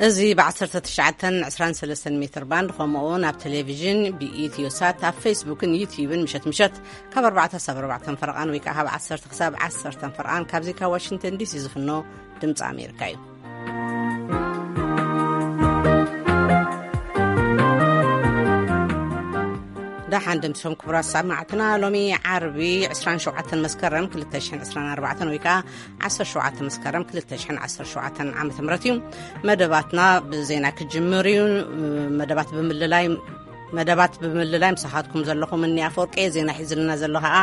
እዚ ብ19 23 ሜትር ባንድ፣ ከምኡ እውን ኣብ ቴሌቪዥን ብኢትዮ ሳት፣ ኣብ ፌስቡክን ዩቲዩብን ምሸት ምሸት ካብ ኣርባዕተ ክሳብ ኣርባዕተ ፈረቓን ወይ ከዓ ካብ ዓሰርተ ክሳብ ዓሰርተ ፈረቓን ካብዚ ካብ ዋሽንግተን ዲሲ ዝፍኖ ድምፂ ኣሜሪካ እዩ። ደሓን ደምሲሶም ክቡራት ሰማዕትና፣ ሎሚ ዓርቢ ዕስራን ሸውዓተን መስከረም ክልተ ሽሕን ዕስራን ኣርባዕተን ወይ ከዓ ዓሰርተ ሸውዓተ መስከረም ክልተ ሽሕን ዓሰርተ ሸውዓተን ዓመተ ምህረት እዩ። መደባትና ብዜና ክጅምር እዩ። መደባት ብምልላይ መደባት ብምልላይ ምሳኻትኩም ዘለኹም እኒ ኣፈወርቂ፣ ዜና ሒዝልና ዘሎ ከዓ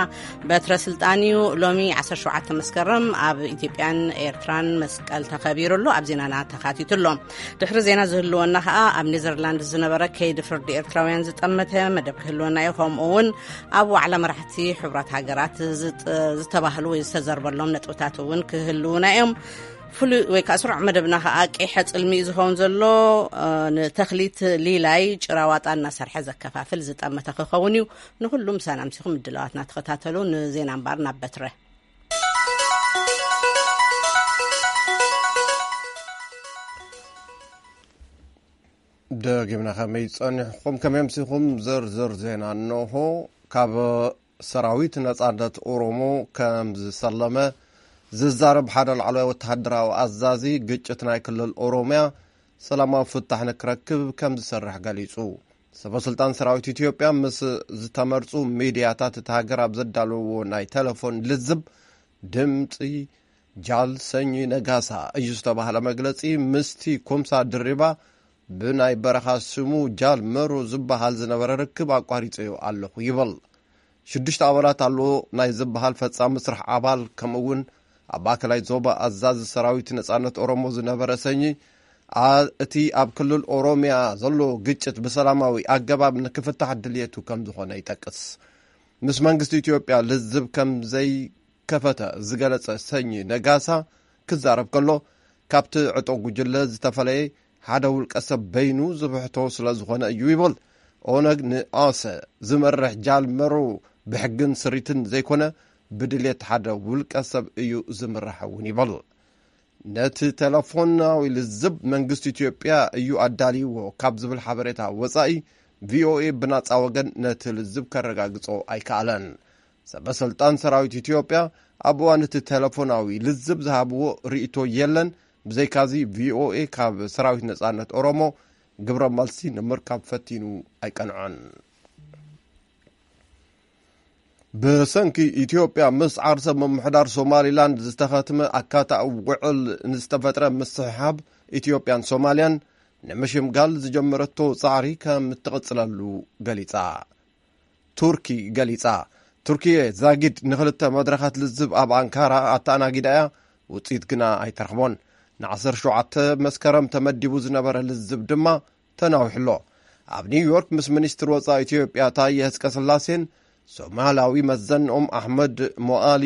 በትረ ስልጣን እዩ። ሎሚ ዓሰርተ ሸውዓተ መስከረም ኣብ ኢትዮጵያን ኤርትራን መስቀል ተኸቢሩ ኣሎ። ኣብ ዜናና ተኻቲቱ ኣሎ። ድሕሪ ዜና ዝህልወና ከዓ ኣብ ኔዘርላንድ ዝነበረ ከይዲ ፍርዲ ኤርትራውያን ዝጠመተ መደብ ክህልወና እዩ። ከምኡ እውን ኣብ ዋዕላ መራሕቲ ሕቡራት ሃገራት ዝጥ-፣ ዝተባህሉ ወይ ዝተዘርበሎም ነጥብታት እውን ክህልውና እዮም። ፍሉይ ወይ ከዓ ስሩዕ መደብና ከዓ ቀይሐ ጽልሚ እዩ ዝኸውን ዘሎ። እ፣ ንተኽሊት ሊላይ ጭራዋጣ እናሰርሐ ዘከፋፍል ዝጠመተ ክኸውን እዩ። ንኹሉም ሰላም ሲኹም ምድላዋትና ተኸታተሉ። ንዜና እምበር ናብ በትረ። ደጊምና ከመይ ጸኒሕኩም፣ ከመይ ኣምሲኹም? ዝርዝር ዜና እንሆ። ካብ ሰራዊት ነጻነት ኦሮሞ ከም ዝሰለመ ዝዛረብ ሓደ ላዕለዋይ ወተሃደራዊ ኣዛዚ፣ ግጭት ናይ ክልል ኦሮምያ ሰላማዊ ፍታሕ ንክረክብ ከም ዝሰርሕ ገሊጹ። ሰበስልጣን ሰራዊት ኢትዮጵያ ምስ ዝተመርጹ ሚድያታት እቲ ሃገር ኣብ ዘዳለዎ ናይ ቴሌፎን ልዝብ፣ ድምጺ ጃል ሰኚ ነጋሳ እዩ ዝተባህለ መግለጺ ምስቲ ኩምሳ ድሪባ ብናይ በረኻ ስሙ ጃል መሩ ዝበሃል ዝነበረ ርክብ ኣቋሪጸዮ ኣለኹ ይብል። ሽዱሽተ ኣባላት ኣለዎ ናይ ዝበሃል ፈጻሚ ስራሕ ኣባል፣ ከምኡ እውን ኣብ ማእከላይ ዞባ ኣዛዚ ሰራዊት ነጻነት ኦሮሞ ዝነበረ ሰኚ፣ ኣ-፣ እቲ ኣብ ክልል ኦሮምያ ዘሎ ግጭት ብሰላማዊ ኣገባብ ንክፍታሕ ድልየቱ ከም ዝኾነ ይጠቅስ። ምስ መንግስቲ ኢትዮጵያ ልዝብ ከም ዘይከፈተ ዝገለጸ ሰኚ ነጋሳ ክዛረብ ከሎ፣ ካብቲ ዕጡቕ ጉጅለ ዝተፈለየ ሓደ ውልቀ ሰብ በይኑ ዝብሕቶ ስለ ዝኾነ እዩ ይብል። ኦነግ ንኣሰ ዝመርሕ ጃል መሩ ብሕግን ስሪትን ዘይኮነ፣ ብድልየት ሓደ ውልቀ ሰብ እዩ ዝምራሕ እውን ይብል። ነቲ ቴሌፎናዊ ልዝብ መንግስቲ ኢትዮጵያ እዩ ኣዳልይዎ ካብ ዝብል ሓበሬታ ወጻኢ፣ ቪኦኤ ብናጻ ወገን ነቲ ልዝብ ከረጋግጾ ኣይከኣለን። ሰበ ስልጣን ሰራዊት ኢትዮጵያ ኣብ እዋን እቲ ቴሌፎናዊ ልዝብ ዝሃብዎ ርእይቶ የለን። ብዘይካዚ፣ ቪኦኤ ካብ ሰራዊት ነጻነት ኦሮሞ ግብረ መልሲ ንምርካብ ፈቲኑ ኣይቀንዖን። ብሰንኪ ኢትዮጵያ ምስ ዓርሰ ምምሕዳር ሶማሊላንድ ዝተኸትመ ኣካታዊ ውዕል ንዝተፈጥረ ምስሕሓብ ኢትዮጵያን ሶማልያን ንምሽምጋል ዝጀመረቶ ጻዕሪ ከም እትቕጽለሉ ገሊጻ። ቱርኪ ገሊጻ። ቱርኪየ ዛጊድ ንኽልተ መድረኻት ልዝብ ኣብ ኣንካራ ኣተኣናጊዳ እያ፣ ውጽኢት ግና ኣይተረኽቦን። ን17 መስከረም ተመዲቡ ዝነበረ ልዝብ ድማ ተናዊሑ ኣሎ። ኣብ ኒውዮርክ ምስ ሚኒስትር ወጻኢ ኢትዮጵያ ታየ ኣጽቀስላሴን ሶማላዊ መዘንኦም ኣሕመድ ሞኣሊ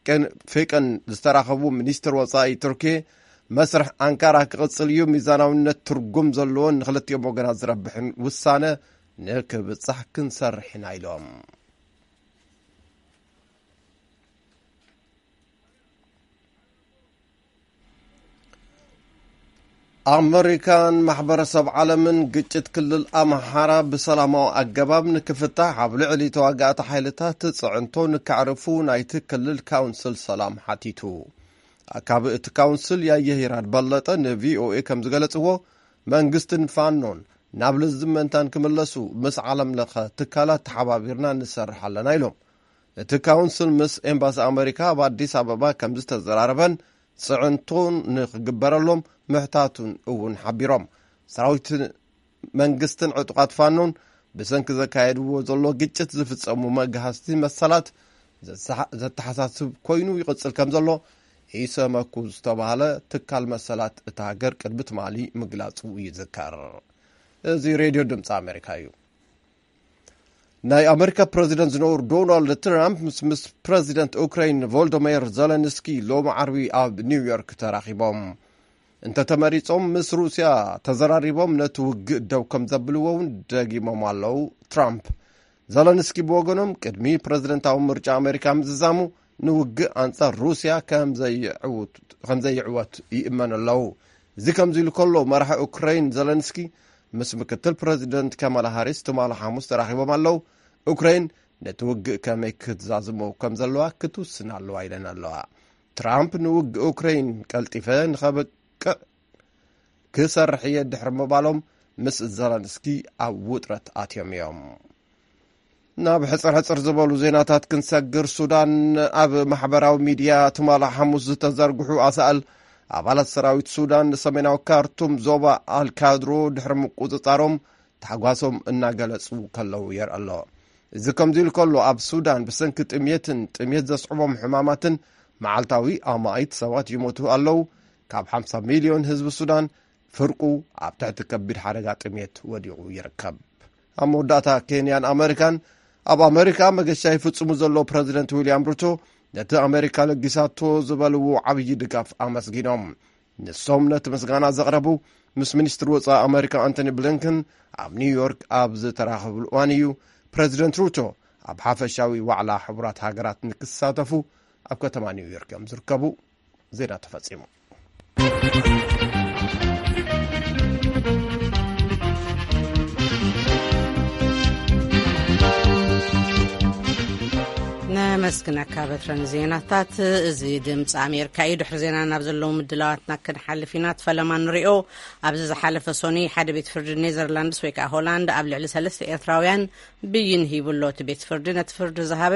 ቀን-፣ ፌቀን ዝተራኸቡ ሚኒስትር ወጻኢ ቱርኪ፣ መስርሕ ኣንካራ ክቕጽል እዩ፣ ሚዛናውነት ትርጉም ዘለዎን ንክልቲኦም ወገናት ዝረብሕን ውሳነ ንክብጻሕ ክንሰርሕ ኢና ኢሎም። ኣመሪካን ማሕበረሰብ ዓለምን ግጭት ክልል ኣምሓራ ብሰላማዊ ኣገባብ ንክፍታሕ ኣብ ልዕሊ ተዋጋእቲ ሓይልታት ጽዕንቶ ንከዕርፉ ናይቲ ክልል ካውንስል ሰላም ሓቲቱ። ኣካቢ እቲ ካውንስል ያየህ ይራድ በለጠ ንቪኦኤ ከም ዝገለጽዎ፣ መንግስትን ፋኖን ናብ ልዝብ ምእንታን ክምለሱ ምስ ዓለም ለኸ ትካላት ተሓባቢርና ንሰርሕ ኣለና ኢሎም። እቲ ካውንስል ምስ ኤምባሲ ኣመሪካ ኣብ ኣዲስ ኣበባ ከም ዝተዘራረበን ጽዕንቶን ንክግበረሎም ምሕታቱን እውን ሓቢሮም። ሰራዊት መንግስትን ዕጡቓት ፋኖን ብሰንኪ ዘካየድዎ ዘሎ ግጭት ዝፍጸሙ መግሃስቲ መሰላት ዘተሓ-፣ ዘተሓሳስብ ኮይኑ ይቕጽል ከም ዘሎ ኢሰመኩ ዝተባህለ ትካል መሰላት እታ ሃገር ቅድሚ ትማሊ ምግላጹ ይዝከር። እዚ ሬድዮ ድምፂ ኣሜሪካ እዩ። ናይ ኣሜሪካ ፕረዚደንት ዝነበሩ ዶናልድ ትራምፕ ምስ፣ ምስ ፕረዚደንት ኡክራይን ቮልዶሜር ዘለንስኪ ሎሚ ዓርቢ ኣብ ኒውዮርክ ተራኺቦም። እንተተመሪጾም ምስ ሩስያ ተዘራሪቦም ነቲ ውግእ ደው ከም ዘብልዎ እውን ደጊሞም ኣለዉ። ትራምፕ፣ ዘለንስኪ ብወገኖም ቅድሚ ፕረዚደንታዊ ምርጫ ኣሜሪካ ምዝዛሙ ንውግእ ኣንጻር ሩስያ ከም ዘይዕውት-፣ ከም ዘይዕወት ይእመኑ ኣለዉ። እዚ ከምዚ ኢሉ ከሎ፣ መራሒ ኡክራይን ዘለንስኪ ምስ ምክትል ፕረዚደንት ካማላ ሃሪስ ትማሊ ሓሙስ ተራኺቦም ኣለዉ። ኡክራይን ነቲ ውግእ ከመይ ክትዛዝሞ ከም ዘለዋ ክትውስን ኣለዋ ኢለን ኣለዋ። ትራምፕ ንውግእ ኡክራይን ቀልጢፈ ንኸብቅዕ ክሰርሕ እየ ድሕሪ ምባሎም፣ ምስ ዘለንስኪ ኣብ ውጥረት ኣትዮም እዮም። ናብ ሕጽር ሕጽር ዝበሉ ዜናታት ክንሰግር፣ ሱዳን፣ ኣብ ማሕበራዊ ሚድያ ትማሊ ሓሙስ ዝተዘርግሑ ኣሳእል ኣባላት ሰራዊት ሱዳን ንሰሜናዊ ካርቱም ዞባ ኣልካድሮ ድሕሪ ምቁጽጻሮም ታሕጓሶም እናገለጹ ከለዉ የርኢ ኣሎ። እዚ ከምዚ ኢሉ ከሎ፣ ኣብ ሱዳን ብሰንኪ ጥምየትን ጥምየት ዘስዕቦም ሕማማትን መዓልታዊ ኣማኢት ሰባት ይሞቱ ኣለዉ። ካብ ሓምሳ ሚልዮን ህዝቢ ሱዳን ፍርቁ ኣብ ትሕቲ ከቢድ ሓደጋ ጥምየት ወዲቑ ይርከብ። ኣብ መወዳእታ፣ ኬንያን ኣመሪካን ኣብ ኣመሪካ መገሻ ይፍጽሙ ዘለዉ ፕረዚደንት ዊልያም ሩቶ ነቲ ኣመሪካ ለጊሳቶ ዝበልዎ ዓብዪ ድጋፍ ኣመስጊኖም። ንሶም ነቲ ምስጋና ዘቕረቡ ምስ ሚኒስትሪ ወጻኢ ኣመሪካ ኣንቶኒ ብሊንከን ኣብ ኒውዮርክ ኣብ ዝተራኸብሉ እዋን እዩ። ፕረዚደንት ሩቶ ኣብ ሓፈሻዊ ዋዕላ ሕቡራት ሃገራት ንክሳተፉ ኣብ ከተማ ኒውዮርክ እዮም ዝርከቡ። ዜና ተፈጺሙ። ነመስግነካ በትረ ንዜናታት። እዚ ድምፂ ኣሜሪካ እዩ። ድሕሪ ዜና ናብ ዘለዉ ምድላዋትና ክንሓልፍ ኢና። እቲ ፈለማ ንሪኦ። ኣብዚ ዝሓለፈ ሶኒ ሓደ ቤት ፍርዲ ኔዘርላንድስ ወይ ከዓ ሆላንድ ኣብ ልዕሊ ሰለስተ ኤርትራውያን ብይን ሂቡ ኣሎ። እቲ ቤት ፍርዲ ነቲ ፍርዲ ዝሃበ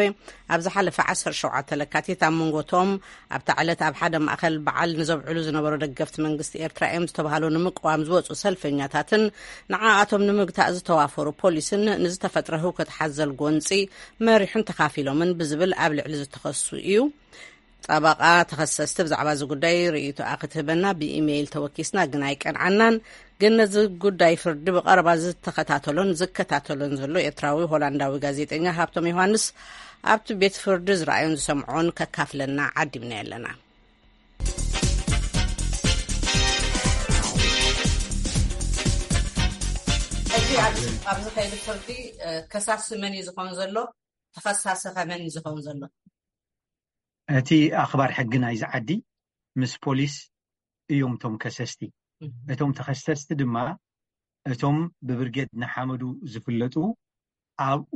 ኣብ ዝሓለፈ ዓሰርተ ሸውዓተ ለካቲት ኣብ መንጎ እቶም ኣብታ ዕለት ኣብ ሓደ ማእኸል በዓል ንዘብዕሉ ዝነበሩ ደገፍቲ መንግስቲ ኤርትራ እዮም ዝተባህሉ ንምቅዋም ዝወፁ ሰልፈኛታትን ንዓኣቶም ንምግታእ ዝተዋፈሩ ፖሊስን ንዝተፈጥረ ህውከት ሓዘል ጎንፂ መሪሑን ተኻፊሎምን ብዝብል ኣብ ልዕሊ ዝተኸሱ እዩ። ጠበቓ ተኸሰስቲ ብዛዕባ እዚ ጉዳይ ርእይቶኣ ክትህበና ብኢሜይል ተወኪስና፣ ግን ኣይቀንዓናን። ግን ነዚ ጉዳይ ፍርዲ ብቐረባ ዝተኸታተሎን ዝከታተሎን ዘሎ ኤርትራዊ ሆላንዳዊ ጋዜጠኛ ሃብቶም ዮሃንስ ኣብቲ ቤት ፍርዲ ዝረኣዮን ዝሰምዖን ከካፍለና ዓዲምና ኣለና። ሕጂ ኣብዚ፣ ኣብዚ ከይዲ ፍርዲ፣ እ፣ ከሳሲ መን እዩ ዝኸውን ዘሎ? ተኸሳሲ ኸ መን እዩ ዝኸውን ዘሎ? እቲ ኣኽባር ሕጊ ናይዚ ዓዲ ምስ ፖሊስ እዮም እቶም ከሰስቲ። እም። እቶም ተኸሰስቲ ድማ እቶም ብብርጌድ ንሓመዱ ዝፍለጡ ኣብኡ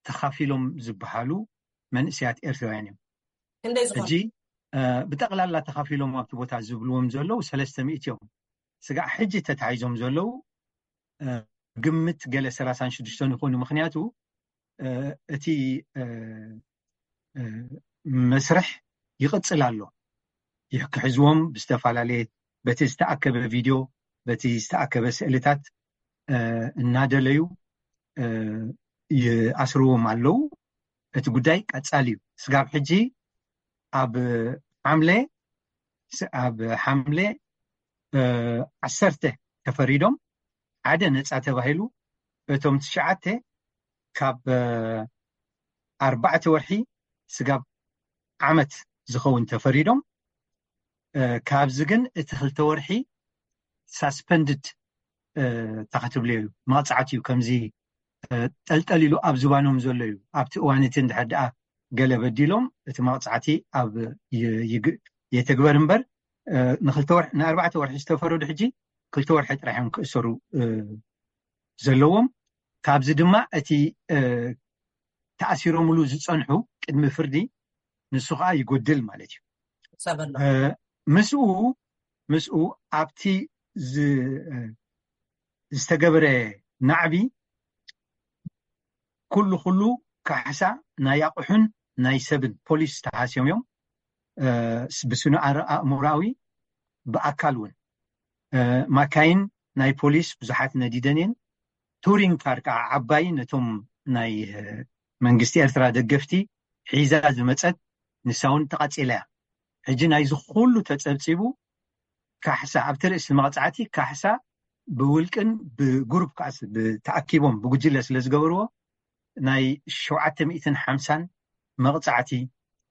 ተኻፊሎም ዝበሃሉ መንእሰያት ኤርትራውያን እዮም። ክንደይ ዝኾኑ? ሕጂ፣ እ፣ ብጠቕላላ ተኻፊሎም ኣብቲ ቦታ ዝብልዎም ዘለዉ ሰለስተ ሚእቲ እዮም። ስጋዕ ሕጂ ተታሒዞም ዘለዉ፣ እ፣ ግምት ገለ ሰላሳን ሽዱሽተን ይኾኑ። ምኽንያቱ፣ እ፣ እቲ፣ እ፣ እ፣ መስርሕ ይቕጽል ኣሎ። ይህ ክሕዝዎም ብዝተፈላለየ፣ በቲ ዝተኣከበ ቪድዮ፣ በቲ ዝተኣከበ ስእልታት፣ እ፣ እናደለዩ፣ እ፣ ይኣስርዎም ኣለዉ። እቲ ጉዳይ ቀጻሊ እዩ። ስጋብ ሕጂ ኣብ ሓምለ፣ ስ-፣ ኣብ ሓምለ፣ እ፣ ዓሰርተ ተፈሪዶም፣ ሓደ ነጻ ተባሂሉ፣ እቶም ትሽዓተ ካብ፣ እ፣ ኣርባዕተ ወርሒ ስጋብ ዓመት ዝኸውን ተፈሪዶም። እ፣ ካብዚ ግን እቲ ክልተ ወርሒ ሳስፐንድድ፣ እ፣ እንታይ ክትብልዮ እዩ፣ መቕጻዕቲ እዩ። ከምዚ፣ እ፣ ጠልጠል ኢሉ ኣብ ዝባኖም ዘሎ እዩ። ኣብቲ እዋን እቲ እንድሕር ደኣ ገለ በዲሎም፣ እቲ መቕጻዕቲ ኣብ ይ-፣ ይግ-፣ የተግበር እምበር፣ እ፣ ንክልተ ወርሒ፣ ንኣርባዕተ ወርሒ ዝተፈረዱ ሕጂ ክልተ ወርሒ ጥራሕ እዮም ክእሰሩ፣ እ፣ ዘለዎም። ካብዚ ድማ እቲ፣ እ፣ ተኣሲሮምሉ ዝጸንሑ ቅድሚ ፍርዲ ንሱ ኸኣ ይጎድል ማለት እዩ። ሰብ ኣሎ። እ፣ ምስኡ፣ ምስኡ ኣብቲ ዝ-፣ እ፣ ዝተገበረ ናዕቢ ኩሉ ኩሉ ካሕሳ ናይ ኣቑሑን ናይ ሰብን ፖሊስ ተሃስዮም እዮም። እ፣ ስ-፣ ብስነ ኣር-፣ ኣእምሮኣዊ ብኣካል እውን፣ እ፣ ማካይን ናይ ፖሊስ ብዙሓት ነዲደን እየን። ቱሪንግ ካር ከዓ ዓባይ ነቶም ናይ፣ እ፣ መንግስቲ ኤርትራ ደገፍቲ ሒዛ ዝመጸት ንሳ እውን ተቓጺላ እያ። ሕጂ ናይዚ ኩሉ ተጸብጺቡ ካሕሳ ኣብቲ ርእሲ መቕጻዕቲ ካሕሳ ብውልቅን ብግሩፕ ከዓ ስ-፣ ብተኣኪቦም ብጉጅለ ስለ ዝገበርዎ ናይ ሸውዓተ ሚእትን ሓምሳን መቕጻዕቲ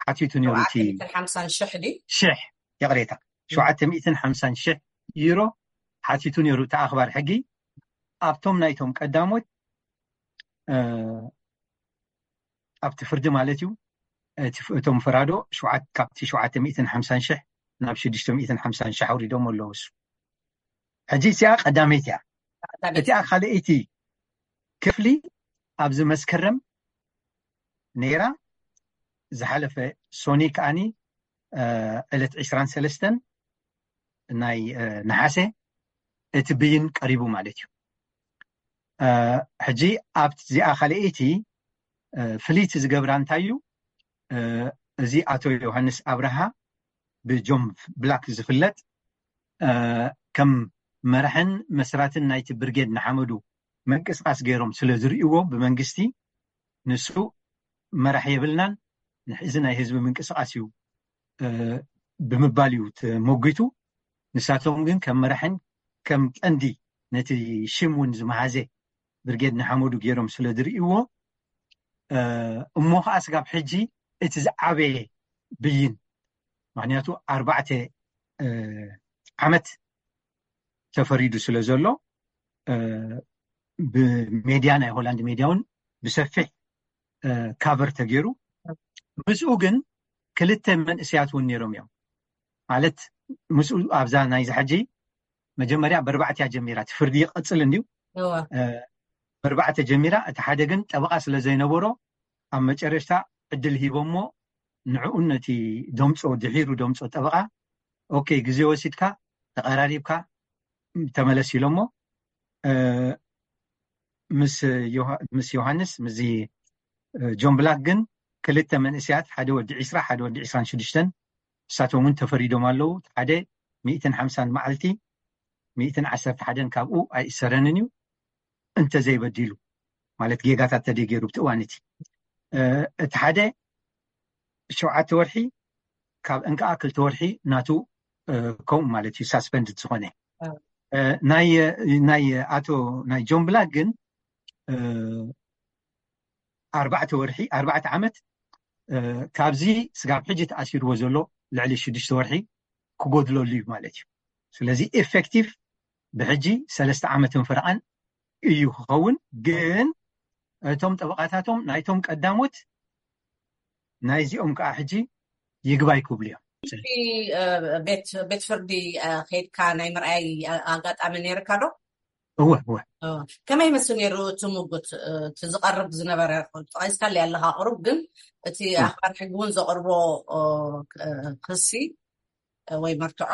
ሓቲቱ ነይሩ። እቲ ሸውዓተ ሚእትን ሓምሳን ሽሕ ድዩ? ሽሕ፣ ይቕሬታ፣ ሸውዓተ ሚእትን ሓምሳን ሽሕ ዩሮ ሓቲቱ ነይሩ እቲ ኣኽባር ሕጊ። ኣብቶም ናይቶም ቀዳሞት፣ እ፣ ኣብቲ ፍርዲ ማለት እዩ፣ እቲ ፍ-፣ እቶም ፈራዶ ሸውዓተ፣ ካብቲ ሸውዓተ ሚእትን ሓምሳን ሽሕ ናብ ሽዱሽተ ሚእትን ሓምሳን ሽሕ ኣውሪዶም ኣለዉ። እሱ ሕጂ እዚኣ ቀዳመይቲ እያ። እቲኣ ካልኣይቲ ክፍሊ ኣብዚ መስከረም ነይራ። ዝሓለፈ ሶኒ ከዓኒ ዕለት ዕስራን ሰለስተን ናይ ነሓሰ እቲ ብይን ቀሪቡ ማለት እዩ። ሕጂ ኣብቲ እዚኣ ካልኣይቲ ፍልይቲ ዝገብራ እንታይ እዩ? እዚ ኣቶ ዮሃንስ ኣብርሃ ብጆን ብላክ ዝፍለጥ ከም መራሕን መስራትን ናይቲ ብርጌድ ንሓመዱ ምንቅስቃስ ገይሮም ስለ ዝርእይዎ ብመንግስቲ፣ ንሱ መራሕ የብልናን፣ እዚ ናይ ህዝቢ ምንቅስቃስ እዩ ብምባል እዩ ተሞጊቱ። ንሳቶም ግን ከም መራሕን ከም ቀንዲ ነቲ ሽም እውን ዝመሃዘ ብርጌድ ንሓመዱ ገይሮም ስለ ዝርእይዎ፣ እሞ ከዓ ስጋብ ሕጂ እቲ ዝዓበየ ብይን፣ ምክንያቱ ኣርባዕተ ዓመት ተፈሪዱ ስለ ዘሎ፣ ብሜድያ ናይ ሆላንድ ሜድያ እውን ብሰፊሕ ካቨር ተገይሩ። ምስኡ ግን ክልተ መንእሰያት እውን ነይሮም እዮም። ማለት ምስኡ ኣብዛ ናይዚ ሕጂ መጀመርያ በርባዕተ እያ ጀሚራ፣ እቲ ፍርዲ ይቐፅል እንድዩ። በርባዕተ ጀሚራ፣ እቲ ሓደ ግን ጠበቓ ስለ ዘይነበሮ ኣብ መጨረሽታ ዕድል ሂቦሞ ንዕኡን ነቲ ደምፆ ድሒሩ ደምፆ ጠበቓ፣ ኦኬ፣ ግዜ ወሲድካ ተቐራሪብካ ተመለስ ኢሎሞ። ምስ ዮሃንስ ምስዚ ጆን ብላክ ግን ክልተ መንእሰያት፣ ሓደ ወዲ ዕስራ ሓደ ወዲ ዕስራን ሽዱሽተን፣ ንሳቶም እውን ተፈሪዶም ኣለዉ። ሓደ ሚእትን ሓምሳን መዓልቲ፣ ሚእትን ዓሰርተ ሓደን ካብኡ ኣይእሰረንን እዩ እንተዘይበዲሉ፣ ማለት ጌጋታት ተደገይሩ ብቲ እዋን እቲ። እቲ ሓደ ሸውዓተ ወርሒ፣ ካብ እንከዓ ክልተ ወርሒ ናቱ ከምኡ ማለት እዩ ሳስፐንድድ ዝኾነ። ናይ ኣቶ ናይ ጆን ብላክ ግን ኣርባዕተ ወርሒ ኣርባዕተ ዓመት ካብዚ ስጋብ ሕጂ ተኣሲርዎ ዘሎ ልዕሊ ሽዱሽተ ወርሒ ክጎድለሉ እዩ ማለት እዩ። ስለዚ ኤፌክቲቭ ብሕጂ ሰለስተ ዓመትን ፍርቓን እዩ ክኸውን። ግን እቶም ጠበቓታቶም ናይቶም ቀዳሞት ናይዚኦም ከዓ ሕጂ ይግባይ ክብሉ እዮም። ቤት ፍርዲ ከይድካ ናይ ምርኣይ ኣጋጣሚ ነይርካ ዶ? እወ እወ። ከመይ ይመስል ነይሩ እቲ ምጉት? እቲ ዝቐርብ ዝነበረ ጠቂስካለይ ኣለካ ቁሩብ፣ ግን እቲ ኣኽባር ሕጊ እውን ዘቕርቦ ክሲ ወይ መርትዖ፣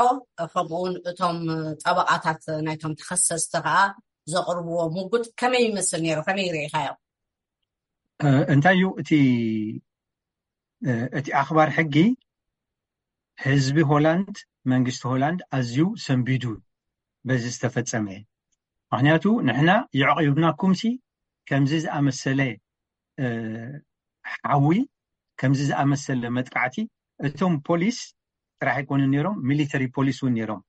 ከምኡውን እቶም ጠበቓታት ናይቶም ተኸሰስቲ ከዓ ዘቕርብዎ ምጉት ከመይ ይመስል ነይሩ? ከመይ ርኢኻዮ? እንታይ እዩ እቲ እቲ ኣኽባር ሕጊ? ህዝቢ ሆላንድ፣ መንግስቲ ሆላንድ ኣዝዩ ሰንቢዱ በዚ ዝተፈጸመ። ምክንያቱ ንሕና የዕቂብናኩምሲ ከምዚ ዝኣመሰለ ሓዊ፣ ከምዚ ዝኣመሰለ መጥቃዕቲ፣ እቶም ፖሊስ ጥራሕ ኣይኮኑን ነይሮም፣ ሚሊተሪ ፖሊስ እውን ነይሮም።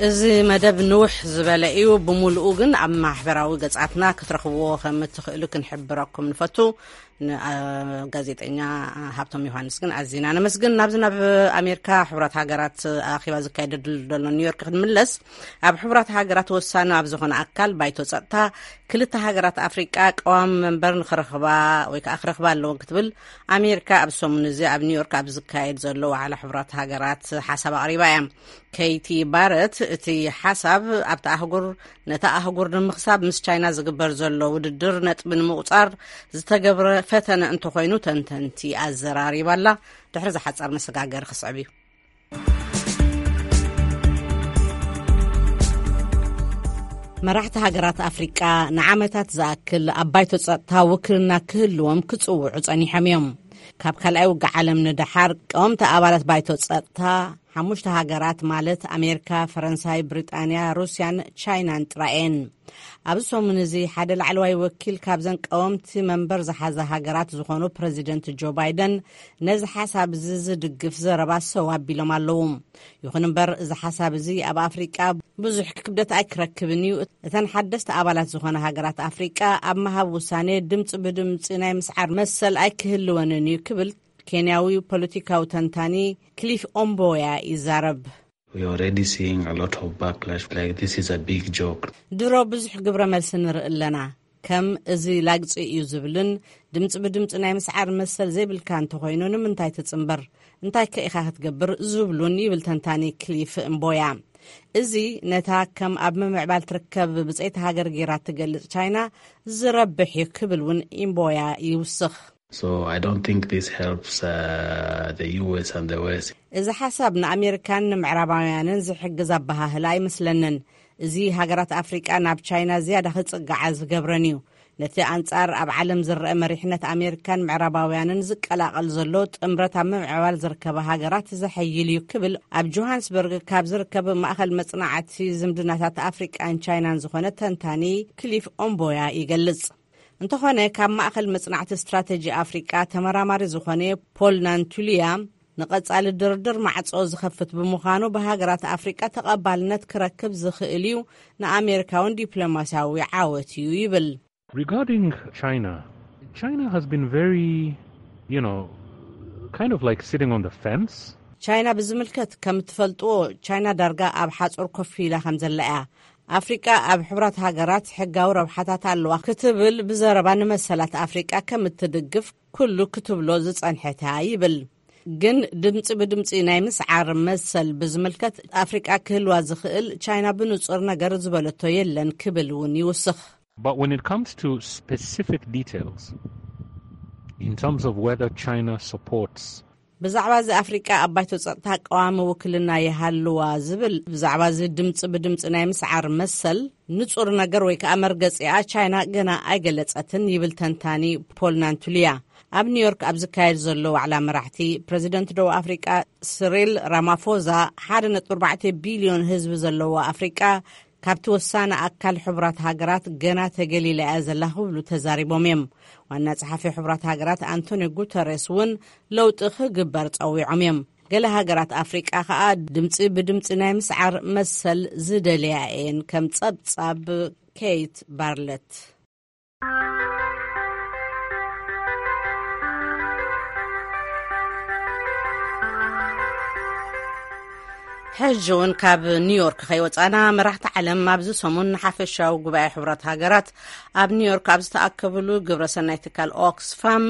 እዚ መደብ ንውሕ ዝበለ እዩ። ብምሉኡ ግን ኣብ ማሕበራዊ ገጻትና ክትረኽብዎ ከም እትኽእሉ ክንሕብረኩም ንፈቱ። ንጋዜጠኛ ሃብቶም ዮሃንስ ግን ኣዚና ነመስግን። ናብዚ ናብ ኣሜሪካ ሕቡራት ሃገራት ኣኼባ ዝካየደሉ ዘሎ ኒውዮርክ ክንምለስ፣ ኣብ ሕቡራት ሃገራት ወሳኒ ኣብ ዝኾነ ኣካል ባይቶ ጸጥታ ክልተ ሃገራት ኣፍሪቃ ቀዋሚ መንበር ንክረኽባ ወይ ከዓ ክረኽባ ኣለወን ክትብል ኣሜሪካ ኣብ ሰሙን እዚ ኣብ ኒውዮርክ ኣብ ዝካየድ ዘሎ ዋዕላ ሕቡራት ሃገራት ሓሳብ ኣቕሪባ እያ። ኬይቲ ባረት እቲ ሓሳብ ኣብቲ ኣህጉር ነታ ኣህጉር ንምኽሳብ ምስ ቻይና ዝግበር ዘሎ ውድድር ነጥቢ ንምቑጻር ዝተገብረ ፈተነ እንተኾይኑ ተንተንቲ ኣዘራሪባ ኣላ። ድሕሪ ዝሓጸር መሰጋገሪ ክስዕብ እዩ። መራሕቲ ሃገራት ኣፍሪቃ ንዓመታት ዝኣክል ኣብ ባይቶ ጸጥታ ውክልና ክህልዎም ክጽውዑ ጸኒሖም እዮም። ካብ ካልኣይ ውግእ ዓለም ንደሓር ቀወምቲ ኣባላት ባይቶ ጸጥታ ሓሙሽተ ሃገራት ማለት ኣሜሪካ፣ ፈረንሳይ፣ ብሪጣንያ፣ ሩስያን ቻይናን ጥራይ እየን። ኣብዚ ሰሙን እዚ ሓደ ላዕለዋይ ወኪል ካብዘን ቀወምቲ መንበር ዝሓዛ ሃገራት ዝኾኑ ፕረዚደንት ጆ ባይደን ነዚ ሓሳብ እዚ ዝድግፍ ዘረባ ሰው ኣቢሎም ኣለዉ። ይኹን እምበር እዚ ሓሳብ እዚ ኣብ ኣፍሪቃ ብዙሕ ክብደት ኣይክረክብን እዩ። እተን ሓደስቲ ኣባላት ዝኾነ ሃገራት ኣፍሪቃ ኣብ ምሃብ ውሳኔ ድምፂ ብድምፂ ናይ ምስዓር መሰል ኣይክህልወንን እዩ ክብል ኬንያዊ ፖለቲካዊ ተንታኒ ክሊፍ ኦምቦያ ይዛረብ። We already seeing a lot of backlash, like this is a big joke. ድሮ ብዙሕ ግብረ መልሲ ንርኢ ኣለና። ከም እዚ ላግጺ እዩ ዝብልን ድምፂ ብድምፂ ናይ ምስዓር መሰል ዘይብልካ እንተኾይኑ ንምንታይ ትፅምበር? እንታይ ከ ኢኻ ክትገብር? ዝብሉን ይብል ተንታኒ ክሊፍ እምቦያ። እዚ ነታ ከም ኣብ ምምዕባል ትርከብ ብፀይቲ ሃገር ገይራ ትገልጽ ቻይና ዝረብሕ እዩ ክብል እውን እምቦያ ይውስኽ። So I don't think this helps uh, the U S and the West. እዚ ሓሳብ ንኣሜሪካን ንምዕራባውያንን ዝሕግዝ ኣበሃህላ ኣይመስለንን። እዚ ሃገራት ኣፍሪቃ ናብ ቻይና ዝያዳ ክጽግዓ ዝገብረን እዩ። ነቲ ኣንጻር ኣብ ዓለም ዝረአ መሪሕነት ኣሜሪካን ምዕራባውያንን ዝቀላቐል ዘሎ ጥምረት ኣብ ምምዕባል ዝርከባ ሃገራት ዘሐይል እዩ ክብል ኣብ ጆሃንስበርግ ካብ ዝርከብ ማእኸል መጽናዕቲ ዝምድናታት ኣፍሪቃን ቻይናን ዝኾነ ተንታኒ ክሊፍ ኦምቦያ ይገልጽ። እንተኾነ ካብ ማእኸል መጽናዕቲ ስትራተጂ ኣፍሪቃ ተመራማሪ ዝኾነ ፖል ናንቱልያ ንቐጻሊ ድርድር ማዕጾ ዝኸፍት ብምዃኑ ብሃገራት ኣፍሪቃ ተቐባልነት ክረክብ ዝኽእል እዩ፣ ንኣሜሪካ እውን ዲፕሎማስያዊ ዓወት እዩ ይብል። Regarding China, China has been very, you know, kind of like sitting on the fence. ቻይና ብዝምልከት ከም እትፈልጥዎ ቻይና ዳርጋ ኣብ ሓፁር ኮፍ ኢላ ከም ዘላ እያ። ኣፍሪቃ ኣብ ሕቡራት ሃገራት ሕጋዊ ረብሓታት ኣለዋ ክትብል ብዘረባ ንመሰላት ኣፍሪቃ ከም እትድግፍ ኩሉ ክትብሎ ዝጸንሐት እያ ይብል። ግን ድምፂ ብድምፂ ናይ ምስዓር መሰል ብዝምልከት ኣፍሪቃ ክህልዋ ዝኽእል ቻይና ብንፁር ነገር ዝበለቶ የለን ክብል እውን ይውስኽ። But when it comes to specific details, in terms of whether China supports ብዛዕባ እዚ ኣፍሪቃ ኣብ ባይቶ ጸጥታ ቀዋሚ ውክልና ይሃልዋ ዝብል ብዛዕባ እዚ ድምፂ ብድምፂ ናይ ምስዓር መሰል ንጹር ነገር ወይ ከዓ መርገጺኣ ቻይና ገና ኣይገለጸትን ይብል ተንታኒ ፖል ናንቱልያ። ኣብ ኒውዮርክ ኣብ ዝካየድ ዘሎ ዋዕላ መራሕቲ ፕሬዚደንት ደቡብ ኣፍሪቃ ስሪል ራማፎዛ ሓደ ነጥቢ ኣርባዕተ ቢልዮን ህዝቢ ዘለዎ ኣፍሪቃ ካብቲ ወሳኒ ኣካል ሕቡራት ሃገራት ገና ተገሊላ እያ ዘላ ክብሉ ተዛሪቦም እዮም። ዋና ጸሓፊ ሕቡራት ሃገራት ኣንቶኒዮ ጉተሬስ እውን ለውጢ ክግበር ጸዊዖም እዮም። ገለ ሃገራት ኣፍሪቃ ከኣ ድምጺ ብድምጺ ናይ ምስዓር መሰል ዝደልያ እየን፣ ከም ጸብጻብ ኬይት ባርለት። ሕጂ እውን ካብ ኒውዮርክ ከይወፃና መራሕቲ ዓለም ኣብዚ ሰሙን ንሓፈሻዊ ጉባኤ ሕቡራት ሃገራት ኣብ ኒውዮርክ ኣብ ዝተኣከብሉ ግብረሰናይ ትካል ኦክስፋም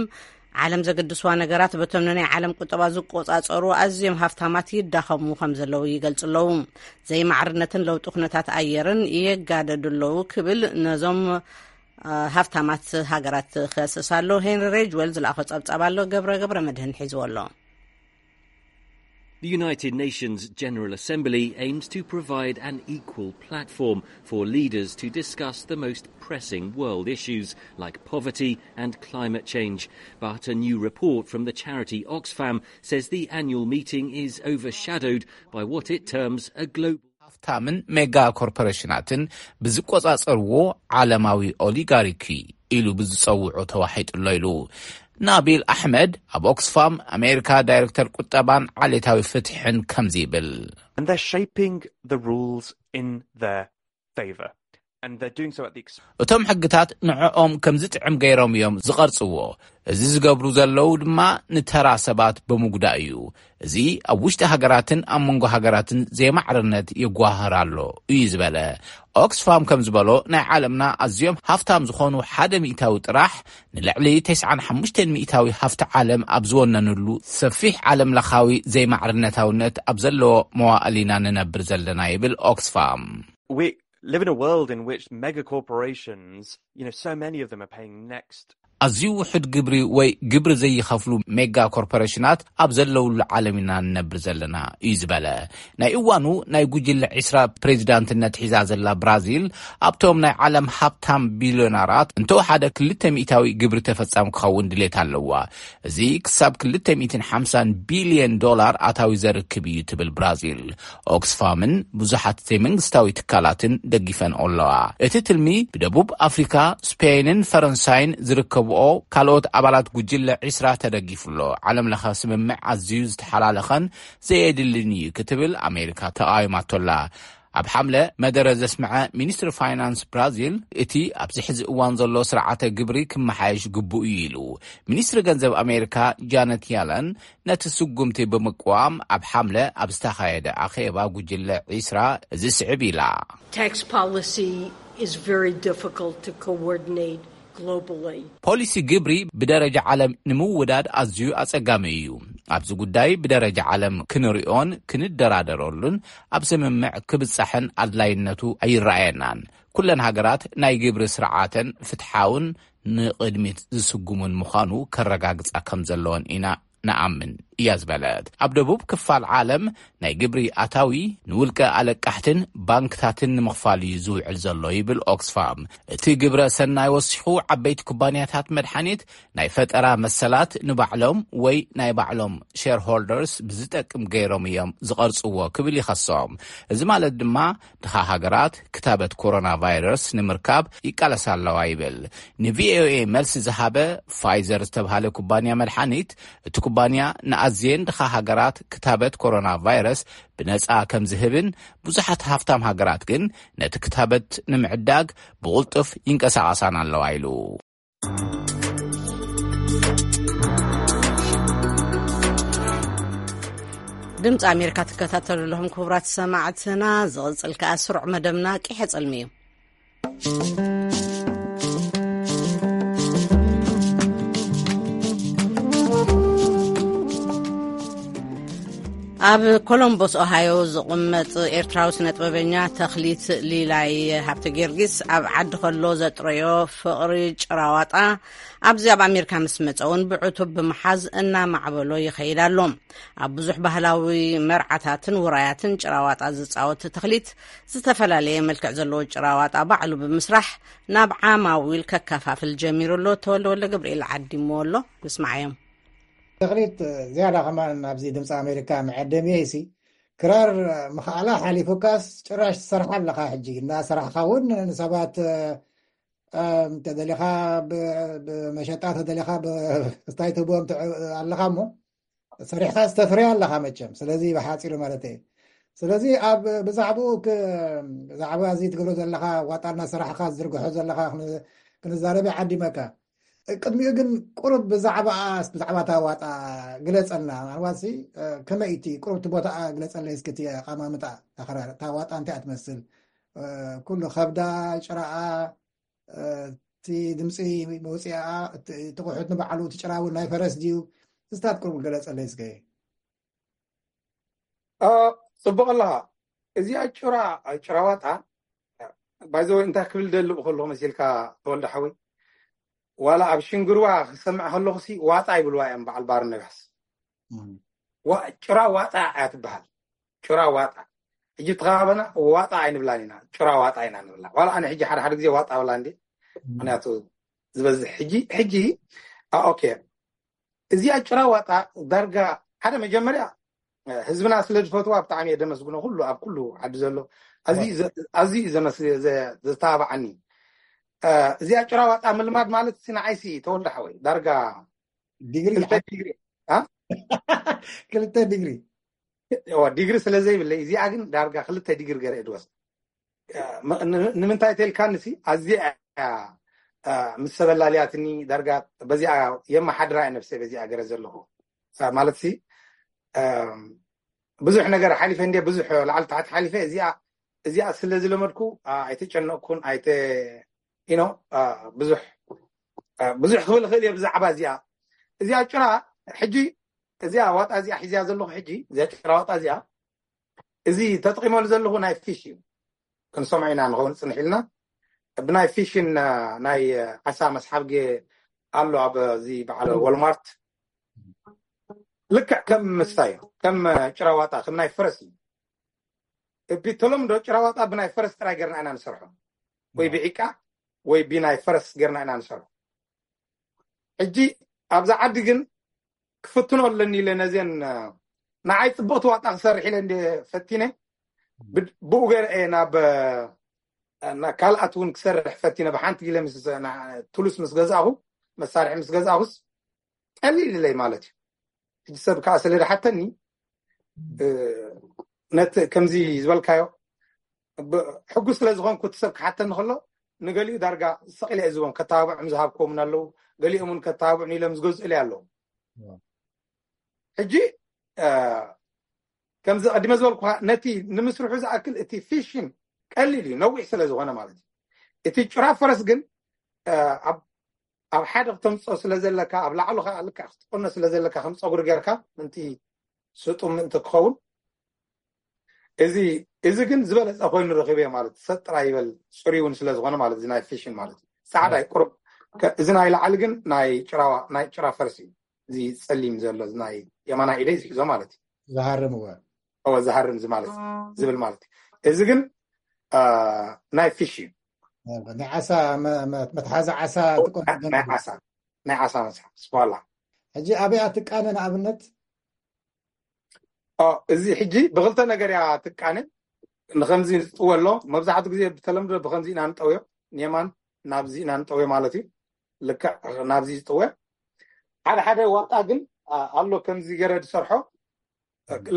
ዓለም ዘገድስዋ ነገራት በቶም ንናይ ዓለም ቁጠባ ዝቆፃፀሩ ኣዝዮም ሃፍታማት ይዳኸሙ ከም ዘለዉ ይገልፁ ኣለዉ። ዘይማዕርነትን ለውጢ ኩነታት ኣየርን የጋደዱ ኣለዉ ክብል ነዞም ሃፍታማት ሃገራት ክኸስስ ኣሎ። ሄንሪ ሬጅወል ዝለኣኾ ፀብፃብ ኣሎ። ገብረ ገብረ መድህን ሒዝዎ ኣሎ። The United Nations General Assembly aims to provide an equal platform for leaders to discuss the most pressing world issues like poverty and climate change. But a new report from the charity Oxfam says the annual meeting is overshadowed by what it terms a global ሃፍታምን ሜጋ ኮርፖሬሽናትን ብዝቆጻጸርዎ ዓለማዊ ኦሊጋርኪ ኢሉ ብዝጸውዖ ተዋሒጡ ኣሎ ኢሉ። ናቢል ኣሕመድ ኣብ ኦክስፋም ኣሜሪካ ዳይሬክተር ቁጠባን ዓሌታዊ ፍትሕን ከምዚ ይብል። And they're shaping the rules in their favor. And they're doing so at the ex- እቶም ሕግታት ንዕኦም ከም ዝጥዕም ገይሮም እዮም ዝቐርጽዎ። እዚ ዝገብሩ ዘለዉ ድማ ንተራ ሰባት ብምጉዳእ እዩ። እዚ ኣብ ውሽጢ ሃገራትን ኣብ መንጎ ሃገራትን ዘይማዕርነት ይጓሃር ኣሎ እዩ ዝበለ። ኦክስፋም ከም ዝበሎ ናይ ዓለምና ኣዝዮም ሃፍታም ዝኾኑ ሓደ ሚእታዊ ጥራሕ ንልዕሊ ተስዓን ሓሙሽተን ሚእታዊ ሃፍቲ ዓለም ኣብ ዝወነንሉ ሰፊሕ ዓለም ለኻዊ ዘይማዕርነታውነት ኣብ ዘለዎ መዋእል ኢና ንነብር ዘለና ይብል ኦክስፋም። We live in a world in which mega corporations, you know, so many of them are paying next ኣዝዩ ውሑድ ግብሪ ወይ ግብሪ ዘይኸፍሉ ሜጋ ኮርፖሬሽናት ኣብ ዘለውሉ ዓለም ኢና ንነብር ዘለና እዩ ዝበለ። ናይ እዋኑ ናይ ጉጅለ ዒስራ ፕሬዚዳንትነት ሒዛ ዘላ ብራዚል ኣብቶም ናይ ዓለም ሃብታም ቢልዮነራት እንተወሓደ ክልተ ሚእታዊ ግብሪ ተፈጻሚ ክኸውን ድሌት ኣለዋ። እዚ ክሳብ ክልተ ሚእትን ሓምሳን ቢልዮን ዶላር ኣታዊ ዘርክብ እዩ ትብል ብራዚል። ኦክስፋምን ብዙሓት ዘይመንግስታዊ ትካላትን ደጊፈንኦ ኣለዋ። እቲ ትልሚ ብደቡብ ኣፍሪካ፣ ስፔንን ፈረንሳይን ዝርከብኦ ካልኦት ኣባላት ጉጅለ ዒስራ ተደጊፉ ኣሎ። ዓለም ለኸ ስምምዕ ኣዝዩ ዝተሓላለኸን ዘየድልን እዩ ክትብል ኣሜሪካ ተቃዊማቶ ኣላ። ኣብ ሓምለ መደረ ዘስምዐ ሚኒስትሪ ፋይናንስ ብራዚል፣ እቲ ኣብዚ ሕዚ እዋን ዘሎ ስርዓተ ግብሪ ክመሓየሽ ግቡእ እዩ ኢሉ። ሚኒስትሪ ገንዘብ ኣሜሪካ ጃነት ያለን ነቲ ስጉምቲ ብምቅዋም ኣብ ሓምለ ኣብ ዝተኻየደ ኣኼባ ጉጅለ ዒስራ እዚ ስዕብ ኢላ። Tax policy is very difficult to coordinate globally. ፖሊሲ ግብሪ ብደረጃ ዓለም ንምውዳድ ኣዝዩ ኣጸጋሚ እዩ። ኣብዚ ጉዳይ ብደረጃ ዓለም ክንሪኦን ክንደራደረሉን ኣብ ስምምዕ ክብጻሕን ኣድላይነቱ ኣይረኣየናን። ኩለን ሃገራት ናይ ግብሪ ስርዓተን ፍትሓውን ንቕድሚት ዝስጉሙን ምዃኑ ከረጋግጻ ከም ዘለወን ኢና ንኣምን እያ ዝበለት። ኣብ ደቡብ ክፋል ዓለም ናይ ግብሪ ኣታዊ ንውልቀ ኣለቃሕትን ባንክታትን ንምኽፋል እዩ ዝውዕል ዘሎ ይብል ኦክስፋም። እቲ ግብረ ሰናይ ወሲኹ ዓበይቲ ኩባንያታት መድሓኒት ናይ ፈጠራ መሰላት ንባዕሎም ወይ ናይ ባዕሎም ሼርሆልደርስ ብዝጠቅም ገይሮም እዮም ዝቐርጽዎ ክብል ይኸሶም። እዚ ማለት ድማ ድኻ ሃገራት ክታበት ኮሮና ቫይረስ ንምርካብ ይቃለሳ ኣለዋ ይብል። ንቪኦኤ መልሲ ዝሃበ ፋይዘር ዝተብሃለ ኩባንያ መድሓኒት፣ እቲ ኩባንያ ንኣዝየን ድኻ ሃገራት ክታበት ኮሮና ቫይረስ ብነጻ ከም ዝህብን ብዙሓት ሃፍታም ሃገራት ግን ነቲ ክታበት ንምዕዳግ ብቕልጡፍ ይንቀሳቐሳን ኣለዋ ኢሉ። ድምፂ ኣሜሪካ ትከታተሉ ኣለኹም ክቡራት ሰማዕትና። ዝቕፅል ከኣ ስሩዕ መደብና ቂሐ ጸልሚ እዩ። ኣብ ኮሎምቦስ ኦሃዮ ዝቕመጥ ኤርትራዊ ስነ ጥበበኛ ተኽሊት ሊላይ ሃብተ ጊዮርጊስ ኣብ ዓዲ ከሎ ዘጥረዮ ፍቕሪ ጭራዋጣ ኣብዚ ኣብ ኣሜሪካ ምስ መጸ እውን ብዕቱብ ብምሓዝ እናማዕበሎ ይኸይድ ኣሎ። ኣብ ብዙሕ ባህላዊ መርዓታትን ውራያትን ጭራዋጣ ዝጻወት ተኽሊት ዝተፈላለየ መልክዕ ዘለዎ ጭራዋጣ ባዕሉ ብምስራሕ ናብ ዓማዊል ከከፋፍል ጀሚሩ ኣሎ። ተወልደ ወልደ ገብርኤል ዓዲምዎ ኣሎ። ንስማዓዮም። ተኽሊት ዝያዳ ከማን ኣብዚ ድምፂ ኣሜሪካ መዐደሚ ሲ ክራር ምኽኣላ ሓሊፉካስ ጭራሽ ትሰርሓ ኣለኻ። ሕጂ እናሰራሕኻ እውን ንሰባት፣ እ፣ ተደሊኻ ብ-፣ ብመሸጣ ተደሊኻ ብ-፣ ስታይ ትህቦም ትዕ-፣ ኣለኻ እሞ ሰሪሕኻ ዝተፍርያ ኣለኻ መቸም። ስለዚ ብሓፂሩ ማለት እየ። ስለዚ ኣብ ብዛዕባኡ ክ-፣ ብዛዕባ እዚ ትገብሮ ዘለኻ ዋጣ እናሰራሕኻ ዝዝርግሖ ዘለኻ ክን-፣ ክንዛረብ ይዓዲመካ። ቅድሚኡ ግን ቁሩብ ብዛዕባ፣ ብዛዕባ እታ ዋጣ ግለጸልና። ምናልባት ሲ፣ እ፣ ከመይ እቲ ቁሩብ እቲ ቦታኣ ግለጸለይ እስኪ፣ እቲ ኣቐማምጣ፣ እታ ክራር፣ እታ ዋጣ እንታይ እያ ትመስል? እ፣ ኩሉ ከብዳ፣ ጭራኣ፣ እ፣ እቲ ድምፂ መውፅኢኣ፣ እቲ፣ እቲ ቁሑት ንባዕሉ፣ እቲ ጭራ እውን ናይ ፈረስ ድዩ? እስታት ቁሩብ ግለጸለይ እስከ። እ፣ ጽቡቕ ኣለኻ። እዚኣ ጭራ፣ ጭራ ዋጣ፣ ባይዘወይ እንታይ ክብል ደሊ ከለኹ መሲልካ ተወልደ ሓወይ? ዋላ ኣብ ሽንግርዋ ክሰምዕ ከለኹ ሲ ዋጣ ይብልዋ እዮም በዓል ባር ነጋስ። እም። ዋ-፣ ጭራ ዋጣ እያ ትበሃል። ጭራ ዋጣ። ሕጂ ተኸባበና ዋጣ ኣይንብላን ኢና። ጭራ ዋጣ ኢና ንብላ። ዋላ ኣነ ሕጂ ሓደ ሓደ ግዜ ዋጣ ብላ እንዴ። እም። ምክንያቱ ዝበዝሕ ሕጂ፣ ሕጂ፣ አ፣ ኦኬ። እዚኣ ጭራ ዋጣ ዳርጋ ሓደ መጀመርያ፣ እ፣ ህዝብና ስለ ዝፈትዋ ብጣዕሚ እየ ደመስግኖ። ኩሉ ኣብ ኩሉ ዓዲ ዘሎ ኣዝዩ እወ። ዘ-፣ ኣዝዩ እዩ ዘመስ-፣ ዘ-፣ ዘተባብዓኒ። እ፣ እዚኣ ጭራ ዋጣ ምልማድ ማለት ሲ ንዓይሲ ተወልደ ሓወይ ዳርጋ ዲግሪ ክልተ ዲግሪ፣ አ? ክልተ ዲግሪ። እወ፣ ዲግሪ ስለ ዘይብለይ እዚኣ ግን ዳርጋ ክልተ ዲግሪ ገይረ እየ ድወስድ። እ፣ ም-፣ ን-፣ ንምንታይ ተልካኒ ሲ ኣዝየ እያ፣ እ፣ ምስ ሰበላልያትኒ ዳርጋ በዚኣ የመሓድራ እየ ነብሰይ በዚኣ ገረ ዘለኹ። እ፣ ማለት ሲ፣ እ፣ ብዙሕ ነገር ሓሊፈ እንዴ፣ ብዙሕ ላዕሊ ታሕቲ ሓሊፈ። እዚኣ፣ እዚኣ ስለ ዝለመድኩ፣ እ፣ ኣይተጨነቕኩን፣ ኣይተ-፣ you know፣ እ፣ ብዙሕ፣ እ፣ ብዙሕ ክብል እኽእል እየ ብዛዕባ እዚኣ። እዚኣ ጭራ ሕጂ፣ እዚኣ ዋጣ እዚኣ ሒዝያ ዘለኹ ሕጂ፣ እዚኣ ጭራ ዋጣ እዚኣ፣ እዚ ተጠቒመሉ ዘለኹ ናይ ፊሽ እዩ። ክንሰምዖ ኢና ንኸውን ጽንሕ ኢልና። ብናይ ፊሽን፣ እ፣ ናይ፣ እ፣ ዓሳ መስሓብ ጌ ኣሎ ኣብ እዚ በዓል ወልማርት። ልክዕ ከም ምስታይ እዩ። ከም፣ እ፣ ጭራ ዋጣ፣ ከም ናይ ፈረስ እዩ። ብተለምዶ ጭራ ዋጣ ብናይ ፈረስ ጥራይ ጌርና ኢና ንሰርሖ። ወይ ብዒቃ ወይ ብናይ ፈረስ ጌርና ኢና ንሰርሖ። ሕጂ ኣብዛ ዓዲ ግን ክፍትኖ ኣለኒ ኢለ ነዘን፣ እ፣ ንዓይ ጽቡቕቲ ዋጣ ክሰርሕ ኢለ እንደ ፈቲነ፣ ብ-፣ ብኡ ገይረ እየ ናብ፣ እ፣ ና-፣ ካልኣት እውን ክሰርሕ ፈቲነ። ብሓንቲ ኢለ ምስ፣ ና-፣ ቱሉስ ምስ ገዛእኹ፣ መሳርሒ ምስ ገዛእኹስ ቀሊል ኢለይ ማለት እዩ። ሕጂ ሰብ ከዓ ስለ ዝሓተኒ፣ እ፣ ነቲ ከምዚ ዝበልካዮ ሕጉስ ስለ ዝኾንኩ እቲ ሰብ ክሓተኒ ከሎ ንገሊኡ ዳርጋ ሰቒለ እየ ዝቦም። ከተባብዖም ዝሃብክዎም ኣለዉ፣ ገሊኦም እውን ከተባብዑን ኢሎም ዝገዝኡለይ ኣለዉ። ሕጂ ከምዚ ቀዲመ ዝበልኩኻ ነቲ ንምስርሑ ዝኣክል እቲ ፊሽን ቀሊል እዩ፣ ነዊሕ ስለ ዝኾነ ማለት እዩ። እቲ ጭራ ፈረስ ግን ኣብ ሓደ ክተምፅኦ ስለ ዘለካ፣ ኣብ ላዕሉ ከዓ ልክዕ ክትቆኖ ስለ ዘለካ ከም ፀጉሪ ጌርካ ምንቲ ስጡም ምእንቲ ክኸውን፣ እዚ ግን ዝበለፀ ኮይኑ ረኺበ ማለት ሰጥ ጥራይ ይበል። ፅሩይ እውን ስለ ዝኾነ ማለት እዚ ናይ ፊሽን ማለት እዩ። ፃዕዳ እዩ ቁሩብ። እዚ ናይ ላዕሊ ግን ናይ ጭራዋ ናይ ጭራ ፈርሲ እዩ። እዚ ፀሊም ዘሎ ናይ የማና ኢደይ ዝሕዞ ማለት እዩ። ዝሃርም እወ። እወ ዝሃርም እዚ ማለት ዝብል ማለት እዩ። እዚ ግን ናይ ፊሽ እዩ። ናይ ዓሳ መትሓዚ ዓሳ ትቆ ናይ ዓሳ ናይ ዓሳ መፅሓፍ ስኳላ። ሕጂ ኣበይ ትቃነ ንኣብነት? እዚ ሕጂ ብክልተ ነገር እያ ትቃነ። ንከምዚ ዝጥወ ኣሎ። መብዛሕትኡ ግዜ ብተለምዶ ብከምዚ ኢና ንጠውዮ። ንየማን ናብዚ ኢና ንጠውዮ ማለት እዩ። ልክዕ ናብዚ ዝጥወ። ሓደ ሓደ ዋጣ ግን ኣሎ ከምዚ ገረ ዝሰርሖ።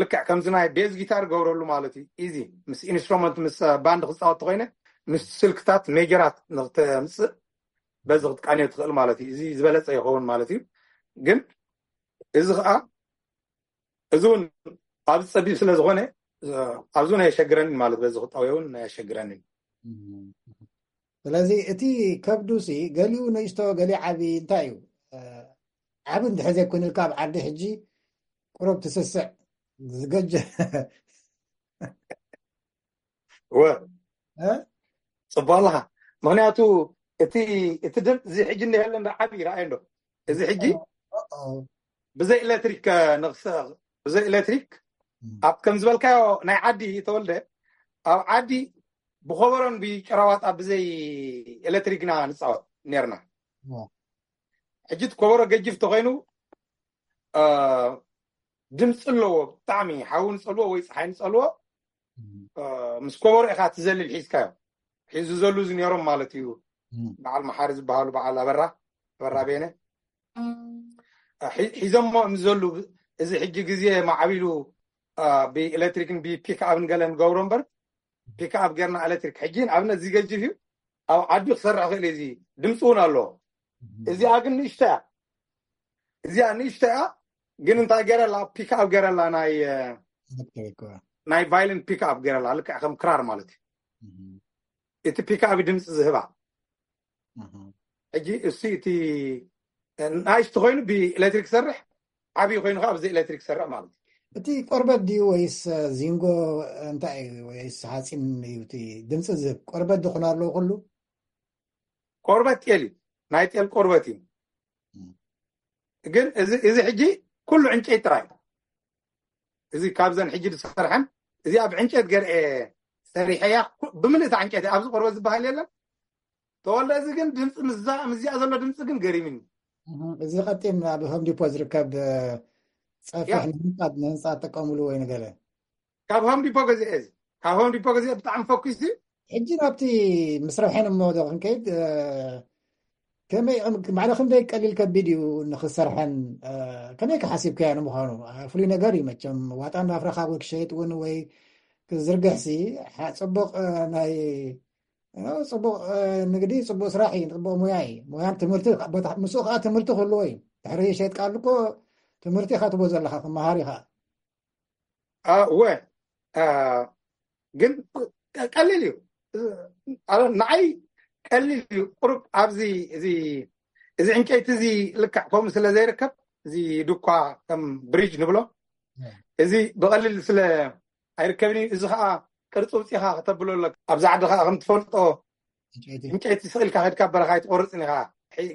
ልክዕ ከምዚ ናይ ቤዝ ጊታር ገብረሉ ማለት እዩ። ኢዚ ምስ ኢንስትሩመንት ምስ ባንድ ክፃወት ተኮይነ ምስ ስልክታት ሜጀራት ንክተምፅእ በዚ ክትቃንዮ ትኽእል ማለት እዩ። እዚ ዝበለፀ ይኸውን ማለት እዩ። ግን እዚ ከዓ እዚ እውን ኣብዚ ፀቢብ ስለ ዝኾነ ኣብዚ እውን ኣየሸግረንን ማለት በዚ ክጠውየ እውን ኣየሸግረንን። ስለዚ እቲ ከብዱሲ ገሊኡ ንእሽቶ ገሊኡ ዓቢ እንታይ እዩ? ዓቢ እንድሕር ዘይኮንልካ ኣብ ዓዲ ሕጂ ቁሩብ ትስስዕ ዝገጀ ወ ፅቡቅ ኣለካ። ምክንያቱ እቲ እቲ ድምፂ እዚ ሕጂ እንዲሃለ እንዳ ዓቢ ይረኣየ እንዶ እዚ ሕጂ ብዘይ ኤሌክትሪክ ንክሰ ብዘይ ኤሌክትሪክ ኣብ ከም ዝበልካዮ ናይ ዓዲ ተወልደ ኣብ ዓዲ ብኮበሮን ብጨራዋጣ ብዘይ ኤሌክትሪክ ኢና ንፃወት ነርና። ሕጂ እቲ ኮበሮ ገጅፍ ተኮይኑ ድምፂ ኣለዎ፣ ብጣዕሚ ሓዊ ንፀልዎ ወይ ፀሓይ ንፀልዎ ምስ ኮበሮ ኢካ ትዘልል ሒዝካዮ። ሒዙ ዘሉ እዚ ነሮም ማለት እዩ። በዓል መሓሪ ዝበሃሉ በዓል ኣበራ ኣበራ ቤነ ሒዞሞ ምስ ዘሉ፣ እዚ ሕጂ ግዜ ማዕቢሉ ብኤሌክትሪክን ብፒክ ኣብ ንገለ ንገብሮ እምበር ፒክ ኣብ ጌርና ኤሌክትሪክ ሕጂ ንኣብነት እዚ ገጅፍ እዩ። ኣብ ዓዲ ክሰርሕ ክእል እዚ ድምፂ እውን ኣለዎ። እዚኣ ግን ንእሽቶ እያ። እዚኣ ንእሽቶ እያ ግን እንታይ ገረላ ፒክ ኣብ ገረላ ናይ ናይ ቫይልን ፒክ ኣብ ገረላ ልክዕ ከም ክራር ማለት እዩ። እቲ ፒክ ኣብ ድምፂ ዝህባ ሕጂ እሱ እቲ ናይስቲ ኮይኑ ብኤሌክትሪክ ሰርሕ ዓብዪ ኮይኑ ከዓ ብዘይ ኤሌክትሪክ ሰርሕ ማለት እዩ። እቲ ቆርበት ድዩ ወይስ ዚንጎ እንታይ እዩ ወይስ ሓፂን እዩ እቲ ድምፂ ዝህብ ቆርበት ድኾነ ኣለዎ ኩሉ? ቆርበት ጤል እዩ ናይ ጤል ቆርበት እዩ። ግን እዚ ሕጂ ኩሉ ዕንጨይቲ ጥራይ እዚ ካብዘን ሕጂ ዝሰርሐን እዚኣ ብዕንጨት ገርኤ ሰሪሐያ ብምልእታ ዕንጨቲ ኣብዚ ቆርበት ዝበሃል የለን። ተወልደ እዚ ግን ድምፂ ምዚኣ ዘሎ ድምፂ ግን ገሪምኒ። እዚ ቀጢን ኣብ ሆም ዲፖ ዝርከብ ፀፍሕ ንህንፃ ንህንፃ ትጥቀምሉ ወይ ንገለ? ካብ ሆም ዲፖ ገዚአ እዚ ካብ ሆም ዲፖ ገዚአ ብጣዕሚ ፈኪስ እዩ። ሕጂ ናብቲ ምስ ረብሐን እሞ ዶ ክንከይድ ከመይ ማዕረ ክንደይ ቀሊል ከቢድ እዩ ንክሰርሐን ከመይ ክሓሲብካዮ ንምዃኑ ፍሉይ ነገር እዩ መቸም ዋጣ እንዳፍረኻ ወይ ክሸይጥ እውን ወይ ክዝርግሕሲ ጽቡቕ ናይ ጽቡቕ ንግዲ ጽቡቕ ስራሕ እዩ ጽቡቕ ሙያ እዩ ሙያን ትምህርቲ ምስኡ ከዓ ትምህርቲ ክህልዎ እዩ ድሕሪ ሸይጥካ ኣሉ እኮ ትምህርቲ ኢኻ ትቦ ዘለካ ክመሃር ኢኻ እወ ግን ቀሊል እዩ። ንዓይ ቀሊል እዩ። ቁሩብ ኣብዚ እዚ እዚ ዕንጨይቲ እዚ ልክዕ ከምኡ ስለ ዘይርከብ እዚ ድኳ ከም ብሪጅ ንብሎ እዚ ብቐሊል ስለ ኣይርከብን እዩ። እዚ ከዓ ቅርፂ ውፅኢኻ ከተብሎ ኣለካ። ኣብዚ ዓዲ ከዓ ከም ትፈልጦ ዕንጨይቲ ስቕ ኢልካ ከድካ በረኻ ኣይትቆርፅን ኢኻ።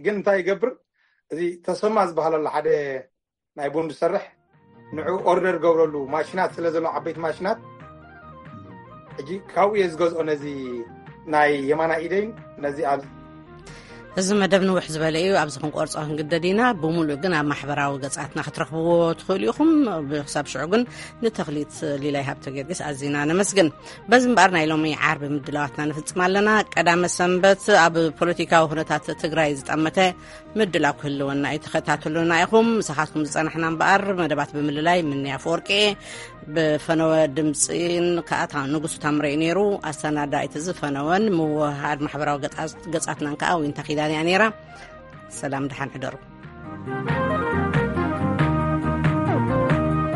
ግን እንታይ ይገብር እዚ ተሰማ ዝበሃል ኣሎ ሓደ ናይ ቡን ዝሰርሕ ንዑ ኦርደር ገብረሉ ማሽናት ስለ ዘሎ ዓበይቲ ማሽናት ሕጂ ካብኡ እየ ዝገዝኦ ነዚ ናይ የማና ኢደይን ነዚ ኣብ እዚ መደብ ንውሕ ዝበለ እዩ፣ ኣብዚ ክንቆርጾ ክንግደድ ኢና። ብምሉእ ግን ኣብ ማሕበራዊ ገጻትና ክትረኽብዎ ትኽእሉ ኢኹም። ብክሳብ ሽዑ ግን ንተኽሊት ሊላይ ሃብተ ጊዮርጊስ ኣዚና ነመስግን። በዚ እምበኣር ናይ ሎሚ ዓርቢ ምድላዋትና ንፍጽም ኣለና። ቀዳመ ሰንበት ኣብ ፖለቲካዊ ኩነታት ትግራይ ዝጠመተ ምድላው ክህልወና እዩ። ተኸታተሉና ኢኹም። ምሳኻትኩም ዝጸናሕና እምበኣር መደባት ብምልላይ ምንያ ኣፈወርቂ፣ ብፈነወ ድምጺን ከኣ ታ-፣ ንጉሱ ታምረ እዩ ነይሩ። ኣሰናዳኢት እዚ ፈነወን ምውህሃድ ማሕበራዊ ገጻ-፣ ገጻትናን ከኣ ዊንታ ኪዳን እያ ነይራ። ሰላም፣ ደሓን ሕደሩ።